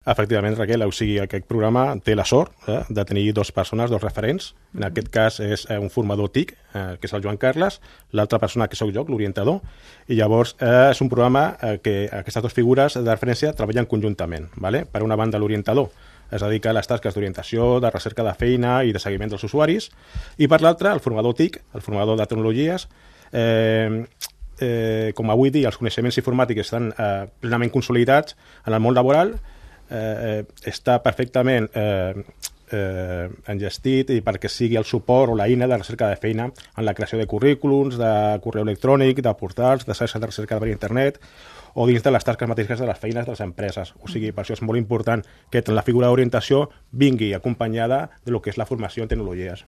Efectivament, Raquel, o sigui, aquest programa té la sort de tenir dues persones, dos referents. En aquest cas és un formador TIC, que és el Joan Carles, l'altra persona que sóc jo, l'orientador, i llavors és un programa que aquestes dues figures de referència treballen conjuntament. Vale? Per una banda, l'orientador es dedica a les tasques d'orientació, de recerca de feina i de seguiment dels usuaris, i per l'altra, el formador TIC, el formador de tecnologies, com avui dia els coneixements informàtics estan plenament consolidats en el món laboral, està perfectament engestit i perquè sigui el suport o l'eina de recerca de feina en la creació de currículums, de correu electrònic, de portals, de xarxes de recerca per internet o dins de les tasques mateixes de les feines de les empreses. O sigui, per això és molt important que la figura d'orientació vingui acompanyada de lo que és la formació en tecnologies.